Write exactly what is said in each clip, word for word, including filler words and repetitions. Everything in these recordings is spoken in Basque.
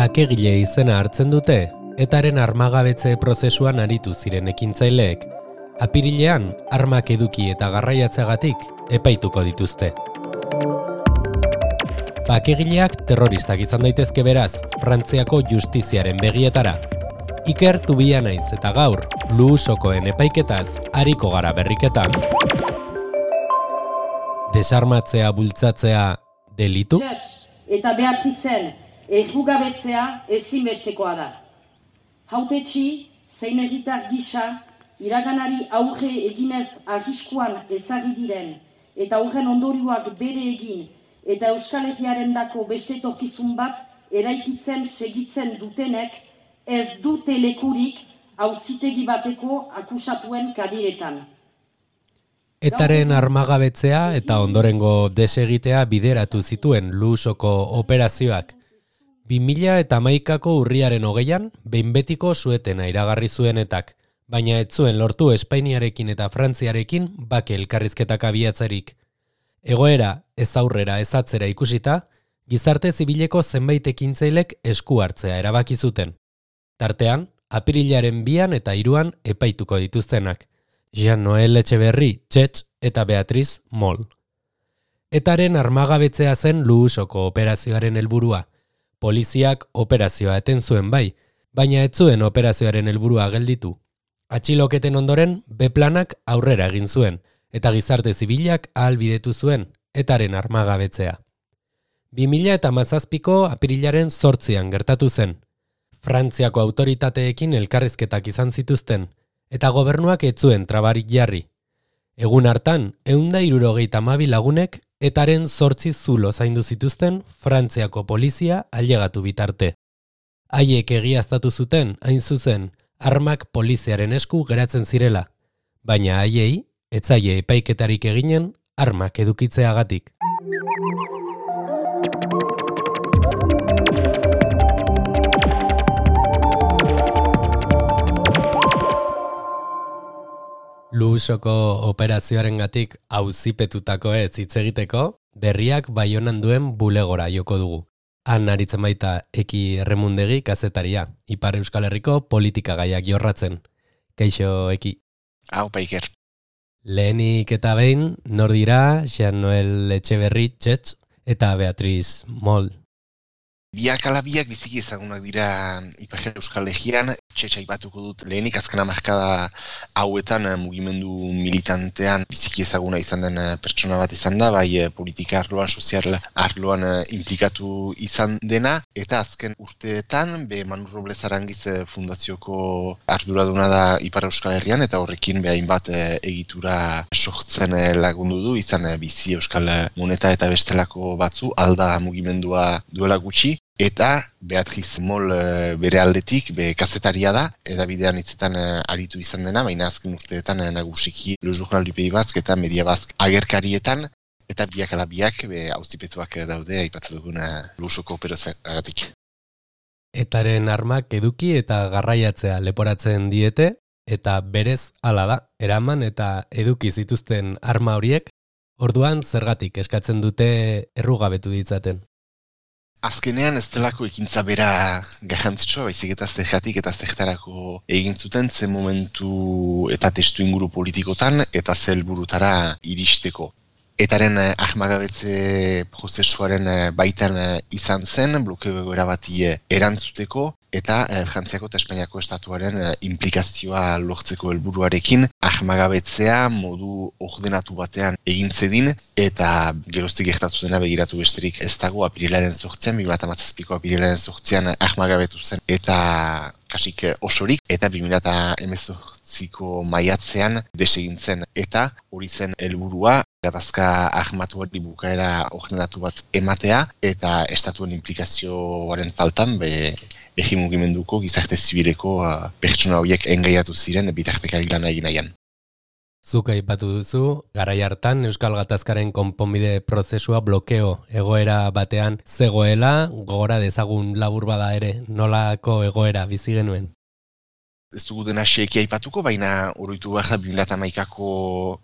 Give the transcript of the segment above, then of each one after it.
Bakegile izena hartzen dute, etaren armagabetze prozesuan aritu ziren ekintzaileek, apirilean armak eduki eta garraiatzeagatik epaituko dituzte. Bakegileak terroristak izan daitezke beraz, Frantziako justiziaren begietara. Iker Tubia naiz eta gaur, Luusokoen epaiketaz ariko gara berriketan. Desarmatzea bultzatzea delitu? Eta Beatrizen errugabetzea ezinbestekoa da. Hautetsi, zein herritar gisa, iraganari aurre eginez arriskuan ezarri diren, eta horren ondorioak bere egin, eta Euskal Herriarendako beste etorkizun bat eraikitzen segitzen dutenek ez dute lekurik auzitegi bateko akusatuen kadiretan. Etaren armagabetzea eta ondorengo desegitea bideratu zituen Luusoko operazioak. bi mila hamaikako urriaren hogeian, behin betiko suetena iragarri zuenetak, baina ez zuen lortu Espainiarekin eta Frantziarekin bake elkarrizketak abiatzerik. Egoera ez aurrera ez atzera ikusita, gizarte zibileko zenbait ekintzailek esku hartzea erabaki zuten. Tartean, apirilaren bian eta hiruan epaituko dituztenak. Jean-Noel Etxeberri, Txetx eta Beatriz Mol. Etaren armagabetzea zen Luusoko operazioaren helburua. Poliziak operazioa eten zuen bai, baina ez zuen operazioaren helburua gelditu. Atxiloketen ondoren, B-planak aurrera egin zuen, eta gizarte zibilak ahalbidetu zuen, etaren armagabetzea. bi mila hamazazpiko apirilaren zortzian gertatu zen. Frantziako autoritateekin elkarrizketak izan zituzten, eta gobernuak ez zuen trabarik jarri. Egun hartan, ehun eta hirurogeita hamabi lagunek etaren zortzi zulo zaindu zituzten Frantziako polizia ailegatu bitarte. Haiek egiaztatu zuten, hain zuzen, armak poliziaren esku geratzen zirela, baina haiei ez zaie epaiketarik eginen armak edukitzeagatik. Luusoko operazioarengatik auzipetutako ez hitz egiteko, berriak Baionan duen bulegora joko dugu. Han aritzen baita Eki Erremundegi kazetaria, Ipar Euskal Herriko politikagaiak jorratzen. Kaixo, Eki. Hau, Paiker. Lehenik eta behin, nor dira Jean-Noel Etxeberri, Txetx eta Beatriz Mol. Biak ala biak biziki ezagunak dira Ipar Euskal Herrian, Txetx aipatuko dut lehenik azken hamarkada hauetan mugimendu militantean biziki ezaguna izan den pertsona bat izan da, bai politika arloan, sozial arloan implikatu izan dena, eta azken urteetan be Manu Robles Arangiz fundazioko arduraduna da Ipar Euskal Herrian, eta horrekin be hainbat egitura sortzen lagundu du, izan bizi Euskal Moneta eta bestelako batzu, alda mugimendua duela gutxi. Eta Beatriz Mol bere aldetik, be kazetaria da, eta bidean hitzetan aritu izan dena, baina azken urteetan nagusiki Le Journal du Pays Basque eta Media Basque agerkarietan, eta biak ala biak be auzipetuak daude aipatzen duguna Luusoko operazioagatik. Etaren armak eduki eta garraiatzea leporatzen diete, eta berez hala da, eraman eta eduki zituzten arma horiek, orduan zergatik eskatzen dute errugabetu ditzaten. Azkenean ez delako ekintza bera garrantzitsua, baizik eta zergatik eta zertarako egin zuten zen momentu eta testu inguru politikotan eta ze helburutara iristeko. Etaren armagabetze prozesuaren baitan izan zen, blokeo egoera bati erantzuteko, eta Frantziako eta Espainiako estatuaren implikazioa lortzeko helburuarekin armagabetzea modu ordenatu batean egin zedin, eta geroztik gertatu dena begiratu besterik ez dago apirilaren zortzian, bi mila hamazazpiko apirilaren zortzian armagabetu zen, eta kasik osorik, eta bi mila hemezortziko maiatzean desegintzen, eta hori zen helburua, gatazka armatuari bukaera ordenatu bat ematea, eta estatuen implikazioaren faltan, be, behi mugimenduko gizarte zibileko uh, pertsona horiek engaiatu ziren bitartekari lan egin nahian. Zuk aipatu duzu, garai hartan Euskal Gatazkaren konponbide prozesua blokeo egoera batean zegoela, gogora dezagun labur bada ere, nolako egoera bizi genuen? Ez dugu dena xeeki aipatuko, baina oroitu behar da bi mila hamaikako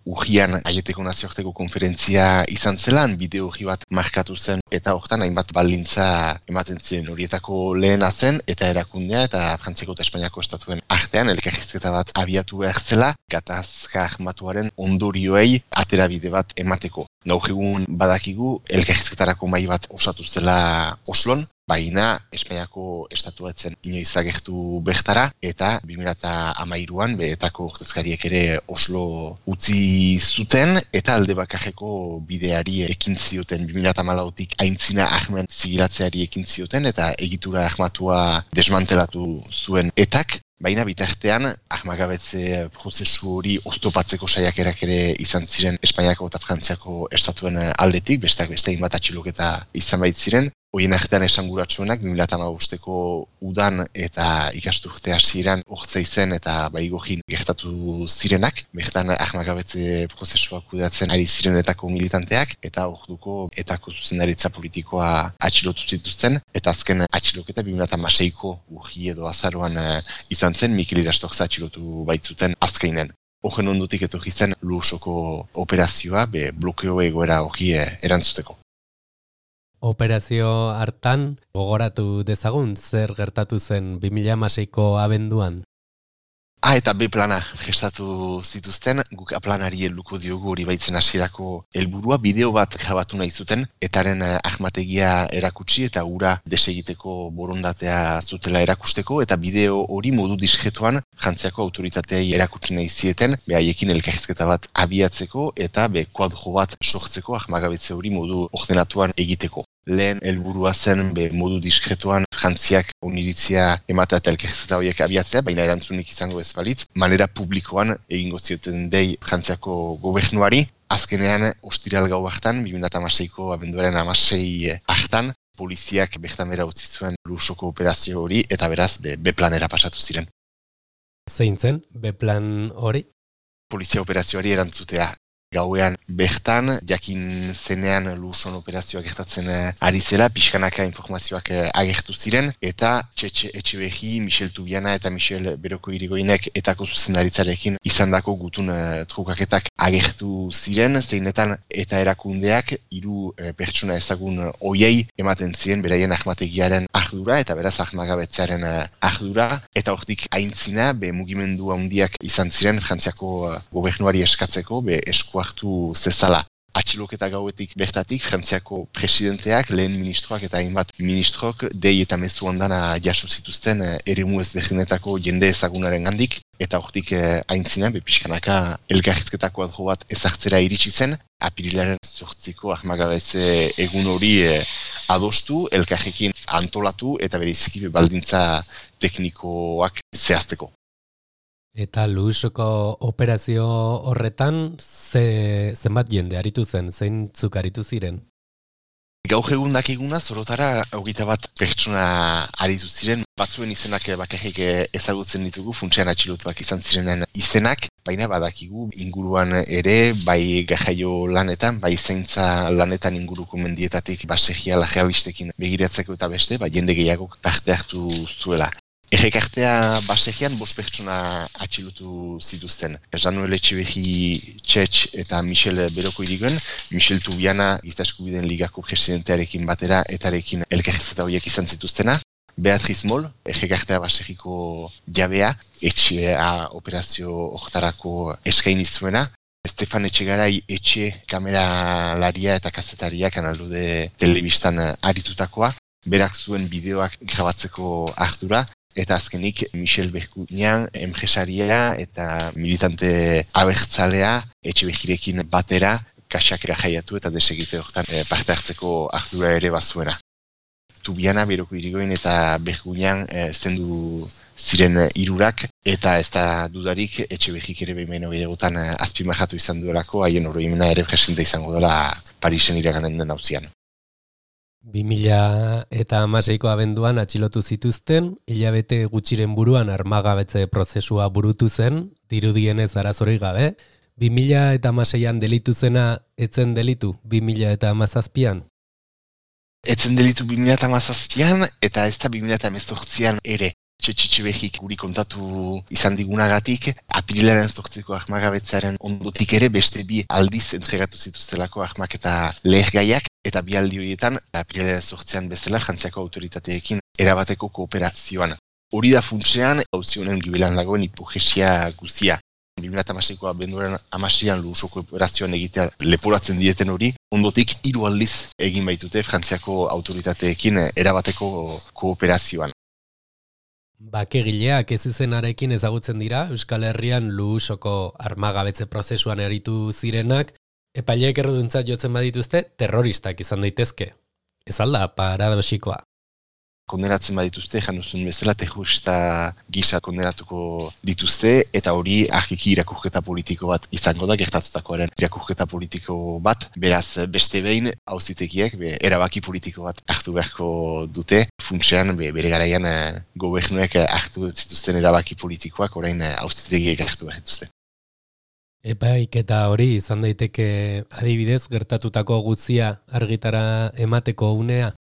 urrian Aieteko nazioarteko konferentzia izan zelan, bideo urri bat markatu zen, eta hortan hainbat baldintza ematen ziren horietako lehena zen, eta erakundea eta Frantziako eta Espainiako estatuen artean elkarrizketa bat abiatu behar zela, gatazka armatuaren ondorioei aterabide bat emateko. Gaur egun badakigu elkarrizketarako mahai bat osatu zela Oslon, baina Espainiako estatua etzen inoiz agertu bertara, eta bi mila hamairuan behetako ordezkariek ere Oslo utzi zuten, eta alde bakarreko bideari ekin zioten bi mila hamalautik aintzina armen zigilatzeari ekin zioten, eta egitura armatua desmantelatu zuen etak. Baina bitartean, armagabetze prozesu hori oztopatzeko saiakerak ere izan ziren Espainiako eta Frantziako estatuen aldetik, besteak beste hainbat atxiloketa izan baitziren. Horien artean esanguratsuenak bi mila hamabosteko udan eta ikasturte hasieran hortzei zen eta baigojin gertatu zirenak, bertan armagabetze prozesuak kudeatzen ari zirenetako militanteak, eta orduko etako zuzendaritza politikoa atxilotu zituzten, eta azken atxiloketa bi mila hamaseiko urri edo azaroan izan zen, Mikel Irastokza atxilotu baitzuten azkeinen. Horren ondotik etorri zen Lusoko operazioa, be blokeo egoera hori erantzuteko. Operazio hartan gogoratu dezagun zer gertatu zen bi mila hamaseiko abenduan. Ah, eta B plana prestatu zituzten, guk A planari helduko diogu hori baitzen hasierako helburua, bideo bat grabatu nahi zuten, etaren ahmategia erakutsi eta ura desegiteko borondatea zutela erakusteko, eta bideo hori modu diskretuan Frantziako autoritateei erakutsi nahi zieten, behaiekin elkarrizketa bat abiatzeko eta be kuadro bat sortzeko ahmagabetze hori modu ordenatuan egiteko. Lehen helburua zen be modu diskretuan Frantziak oniritzia ematea eta elkarrizketa horiek abiatzea, baina erantzunik izango ez balitz, manera publikoan egingo zioten dei Frantziako gobernuari. Azkenean, ostiral gau hartan, bi mila hamaseiko abenduaren hamasei hartan, poliziak bertan bera utzi zuen Lusoko operazio hori, eta beraz be, B planera pasatu ziren. Zein zen B plan hori? Polizia operazioari erantzutea. Gauean bertan, jakin zenean Luson operazioak gertatzen ari zela, pixkanaka informazioak agertu ziren, eta Txetxe Etxeberri, Michel Tubiana eta Michel Beroko Irigoinek etako zuzendaritzarekin izandako gutun uh, trukaketak agertu ziren, zeinetan eta erakundeak hiru uh, pertsona ezagun hoiei ematen ziren beraien ahmategiaren ardura, eta beraz ahmagabetzearen uh, ardura, eta hortik aintzina, be mugimendu handiak izan ziren Frantziako uh, gobernuari eskatzeko, be esku hartu zezala. Atxiloketa gauetik bertatik, Frantziako presidenteak, lehen ministroak eta hainbat ministrok dei eta mezu ondana jaso zituzten eremu ezberdinetako jende ezagunaren gandik, eta hortik aintzina, bepiskanaka elkarrizketako adro bat ezartzera iritsi zen, apirilaren zortziko ahmagabetze egun hori adostu, elkarrekin antolatu eta bereziki baldintza teknikoak zehazteko. Eta Lusoko operazio horretan ze, zenbat jende aritu zen, zeintzuk aritu ziren? Gaur egun dakiguna zorotara hogeita bat pertsona aritu ziren, batzuen izenak bakarrik ezagutzen ditugu, funtsean atxilotuak izan zirenen izenak, baina badakigu inguruan ere, bai garraio lanetan, bai zaintza lanetan inguruko mendietatik basegia lajeabistekin begiratzeko eta beste, bai jende gehiagok parte hartu zuela. Errekartea basegian bost pertsona atxilotu zituzten. Jean-Noel Etxeberri Txetx eta Michel Beroko Irigoyen, Michel Tubiana Giza Eskubideen Ligako presidentearekin batera etarekin elkarrizketa horiek izan zituztena. Beatriz Moll, errekartea basegiko jabea, etxea operazio hortarako eskaini zuena. Stefan Etxegarai etxe kameralaria eta kazetaria Kanaldude telebistan aritutakoa. Berak zuen bideoak grabatzeko ardura. Eta azkenik Michel Berkunian, enpresaria eta militante abertzalea Etxeberrirekin batera kaxak jaiatu eta desegite hortan parte hartzeko ardura ere bazuena. Tubiana, Beroko Irigoyen eta Berkunian e, zendu ziren hirurak eta ez da dudarik Etxeberrik ere behin baino gehiagotan azpimarratu izan duelako, haien oroimena ere presente izango dela Parisen iraganen den auzian. bi mila hamaseiko abenduan atxilotu zituzten, hilabete gutxiren buruan armagabetze prozesua burutu zen, dirudienez arazorik gabe. bi mila hamaseian delitu zena etzen delitu, bi mila hamazazpian? Etzen delitu bi mila hamazazpian eta ez da bi mila hemezortzian ere. Txetxetxebehik guri kontatu izan digunagatik, apirilaren zortziko ahmagabetzaren ondotik ere beste bi aldiz entregatu zituztelako ahmak eta lehergaiak, eta bi aldi horietan apirilaren zortzean bezala Frantziako autoritateekin erabateko kooperazioan. Hori da funtsean, hauzionen gibelan dagoen hipogesia guzia. bi mila hamaseiko abenduaren hamaseian Lusoko operazioan egitea leporatzen dieten hori, ondotik hiru aldiz egin baitute Frantziako autoritateekin erabateko kooperazioan. Bakegileak ez izenarekin ezagutzen dira, Euskal Herrian Lusoko armagabetze prozesuan eritu zirenak, epaileek erruduntzat jotzen badituzte, terroristak izan daitezke. Ez alda paradoxikoa. Konderatzen badituzte, januzun bezala, terrorista gisa konderatuko dituzte, eta hori argiki irakurketa politiko bat izango da, gertatutakoaren irakurketa politiko bat, beraz beste behin auzitegiek be, erabaki politiko bat hartu beharko dute, funtsean be, bere garaian eh, gobernuek hartu zituzten erabaki politikoak orain eh, auzitegiek hartu behar dituzte. Epaik eta hori izan daiteke adibidez gertatutako guztia argitara emateko unea?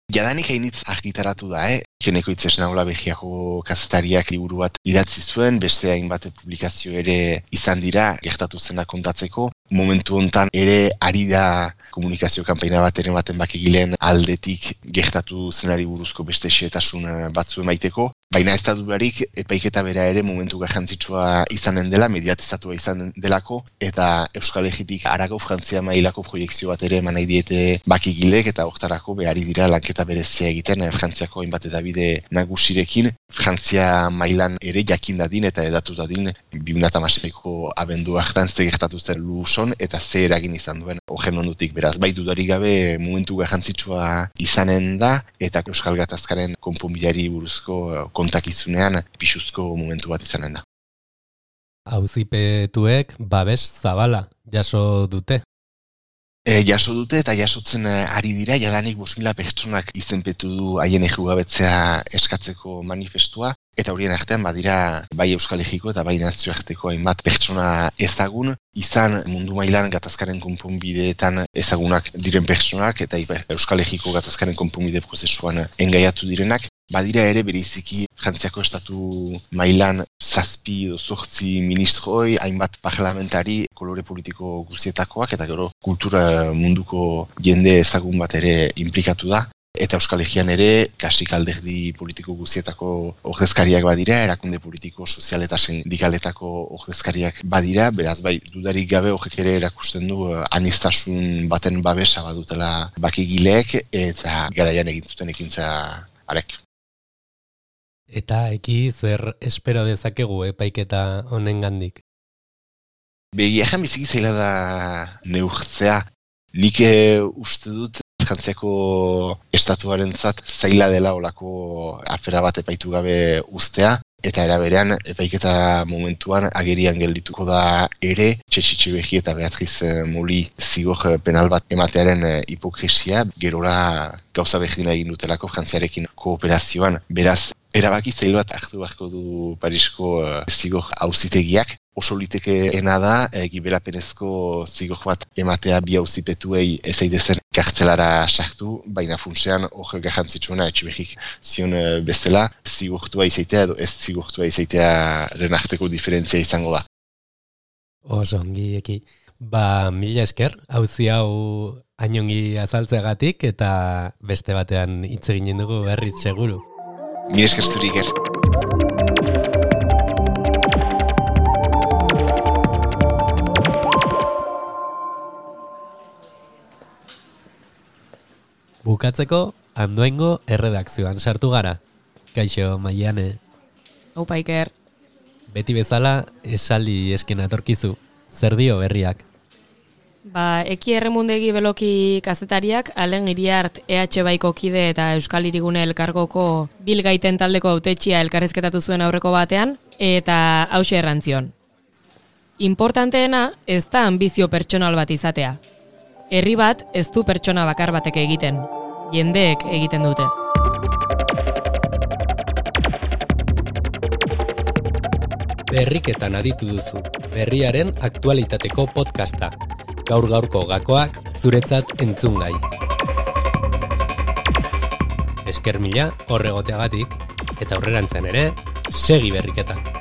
Jadanik hainitz argitaratu da, eh? Geneko Itzesnaola Belgiako kazetariak liburu bat idatzi zuen, beste hainbat publikazio ere izan dira, gertatu zena kontatzeko. Momentu hontan ere ari da komunikazio kanpaina bat ere baten bakegileen aldetik gertatu zenari buruzko beste xehetasun batzu emaiteko. Baina ez da dudarik, epaiketa bera ere momentu garrantzitsua izanen dela, mediatizatua izan delako, eta Euskal Herritik harago Frantzia mailako proiekzio bat ere eman nahi diete bakigilek, eta hortarako behari dira lanketa berezia egiten Frantziako hainbat edabide nagusirekin, Frantzia mailan ere jakin dadin eta edatu dadin bi mila hamaseiko abendu hartan ze gertatu zen Luson eta ze eragin izan duen horren ondutik. Beraz, bai dudarik gabe momentu garrantzitsua izanen da, eta Euskal Gatazkaren konponbideari buruzko kontakizunean pisuzko momentu bat izanen da. Auzipetuek babes zabala jaso dute. E, jaso dute eta jasotzen ari dira, jadanik bost mila pertsonak izenpetu du haien errugabetzea eskatzeko manifestua, eta horien artean badira bai Euskal Herriko eta bai nazioarteko hainbat pertsona ezagun, izan mundu mailan gatazkaren konponbideetan ezagunak diren pertsonak, eta Euskal Herriko gatazkaren konponbide prozesuan engaiatu direnak, badira ere bereiziki Frantziako estatu mailan zazpi edo zortzi ministroi, hainbat parlamentari kolore politiko guzietakoak, eta gero kultura munduko jende ezagun bat ere implikatu da. Eta Euskal Herrian ere, kasik alderdi politiko guzietako ordezkariak badira, erakunde politiko, sozial eta sindikaletako ordezkariak badira, beraz bai, dudarik gabe horrek ere erakusten du aniztasun baten babesa badutela bakigileek, eta garaian egin zuten ekintza arek. Eta eki zer espero dezakegu epaiketa honengandik? Begia jan biziki zaila da neurtzea. Nik uste dut Frantziako estatuarentzat zaila dela olako afera bat epaitu gabe uztea, eta era berean epaiketa momentuan agerian geldituko da ere Txetxetxebehik eta Beatriz Moli zigor penal bat ematearen hipokresia, gerora gauza berdina egin dutelako Frantziarekin kooperazioan. Beraz, erabaki zail bat hartu beharko du Parisko zigor auzitegiak. Oso litekeena da, e, gibelapenezko zigor bat ematea bi auzipetuei ez aidezen kartzelara sartu, baina funtsean hor garrantzitsuena Etxebehik zion bezala, zigortua izaitea edo ez zigortua izaitea renarteko diferentzia izango da. Oso ongi eki. Ba, mila esker, auzi hau hainongi azaltzeagatik eta beste batean hitz eginen dugu berriz seguru. Mila esker zuri ger. Bukatzeko, Andoaingo erredakzioan sartu gara. Kaixo, Maiane. Aupa Iker. Beti bezala, esaldi esken atorkizu. Zer dio berriak? Ba, Eki Erremundegi Beloki kazetariak, Alen Iriart E H Baiko kide eta Euskal Hirigune elkargoko bilgaiten taldeko hautetxia elkarrizketatu zuen aurreko batean, eta hauxe errantzion. Importanteena ez da ambizio pertsonal bat izatea. Herri bat ez du pertsona bakar batek egiten, jendeek egiten dute. Berriketan aditu duzu, berriaren aktualitateko podcasta. Gaur gaurko gakoak zuretzat entzungai. Esker mila horregoteagatik. eta aurrerantzen ere, segi berriketan.